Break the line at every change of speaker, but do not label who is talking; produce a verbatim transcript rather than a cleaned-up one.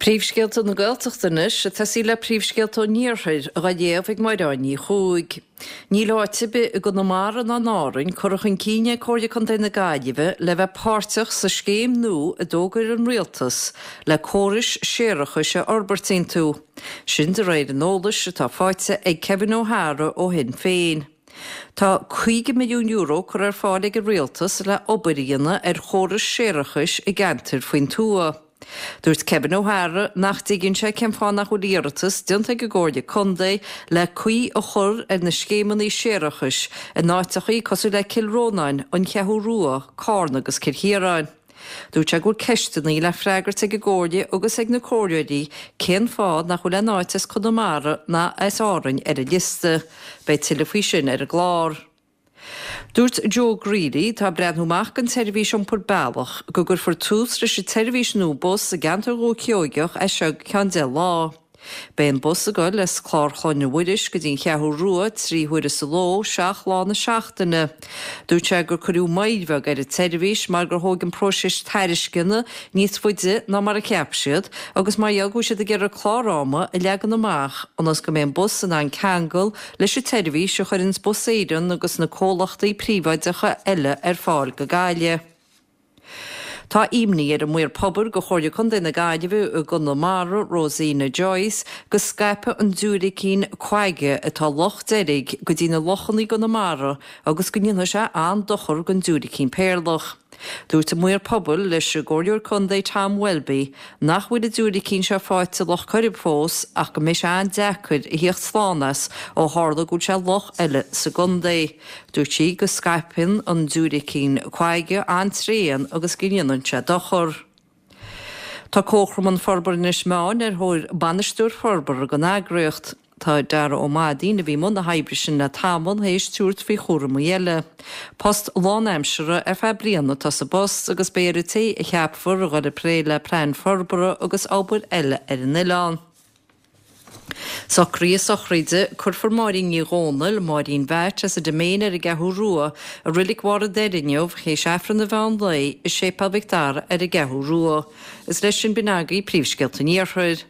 Príomhscéalta na Gaeltachta anois, ag tosaí le príomhscéalta an Iarthair, á léamh ag Máire Ní Chuaig. Níl áit ar bith i gConamara ná in Árainn curtha chun cinn ag Comhairle Contae na Gaillimhe le bheith páirteach sa scéim nua a d'fhógair an Rialtas le córais séarachais a fhorbairt iontu. Sin de réir an eolais atá faighte ag Kevin O'Hara ó Shinn Féin. Tá caoga milliún euro curtha ar fáil ag an Rialtas le obair a dhéanamh ar chórais séarachais i gceantair faoin tuath. Dúirt Kevin O'Hara nach dtuigeann sé cén fáth nach bhfuil iarratas déanta ag an gComhairle Contae le caoi a chur ar na scéimeanna séarachais in áiteachaí cosúil le Cill Rónáin, An Cheathrú Rua, Carna agus Cill Chiaráin. Dúirt sé go bhfuil ceisteanna le freagairt ag an gComhairle agus ag na comhairleoirí cén fáth nach bhfuil aon áit as Conamara ná as Árainn ar an liosta. Beidh tuilleadh faoi sin ar an gclár. Dúirt Joe Greally, atá ag breathnú amach don tseirbhís iompair bealach, go gcuirfear tús leis an tseirbhís nua bus i gceantar Dhúiche Sheoigeach as seo go ceann deich lá. Beidh an bus ag dul as Clár Chlainne Mhuiris go dtí an Cheathrú Rua trí huaire sa ló, seacht lá na seachtaine. Dúirt sé gur cuireadh moill bheag ar an tseirbhís mar gur thóg an próiseas tairisceana níos faide ná mar a cheap siad agus mar gheall go bhfuil siad ag iarraidh clár ama a leagan amach ionas go mbeidh an bus in ann ceangal leis an tseirbhís a chuireanns Bus Éireann agus na comhlachtaí príobháideacha eile ar fáil go Gaillimh. Tá imní ar an Maor Pobail do Chomhairle Contae na Gaillimhe i gConamara, Rosina Joyce, go scaipfidh an diúilicín quagga atá i Loch Deirg go dtí na lochanna i gConamara agus go ndéanfaidh sé an-dochar don diúilicín péarlach. Dúirt an Maor Pobail leis an gComhairleoir Contae Tom Welby nach bhfuil an diúilicín seo faighte i Loch Coirib fós ach go mbeidh sé an-deacair a theacht slán as ó tharla go bhfuil sé i loch eile sa gcontae. Dúirt sí go scaipeann an diúilicín quagga an-tréan agus go ndéanann sé dochar. Tá Comharchumann Forbartha Inis Meáin ar thóir bainisteoir forbartha don eagraíocht. Tá Dara Ó Mainnín, a bhí i mbun na hoibre sin le tamall, théis tabhairt faoi chúramaí eile. Post lánaimseartha ar feadh bliana atá sa bpost agus beidh ar an té a cheapfar a dhul ag plé le plean forbartha agus obair eile ar an oileán. Socruithe sochraide, Cuirfear Máirín Ní Dhomhnaill, Máirín Mheait, as an Diméin ar an gCeathrú Rua, i Reilig Bharr an Doire inniu, théis Aifreann an mheán lae i Séipéal Mhic Dara ar an gCeathrú Rua. Is leis sin b'in agaibh príomhscéalta an Iarthair.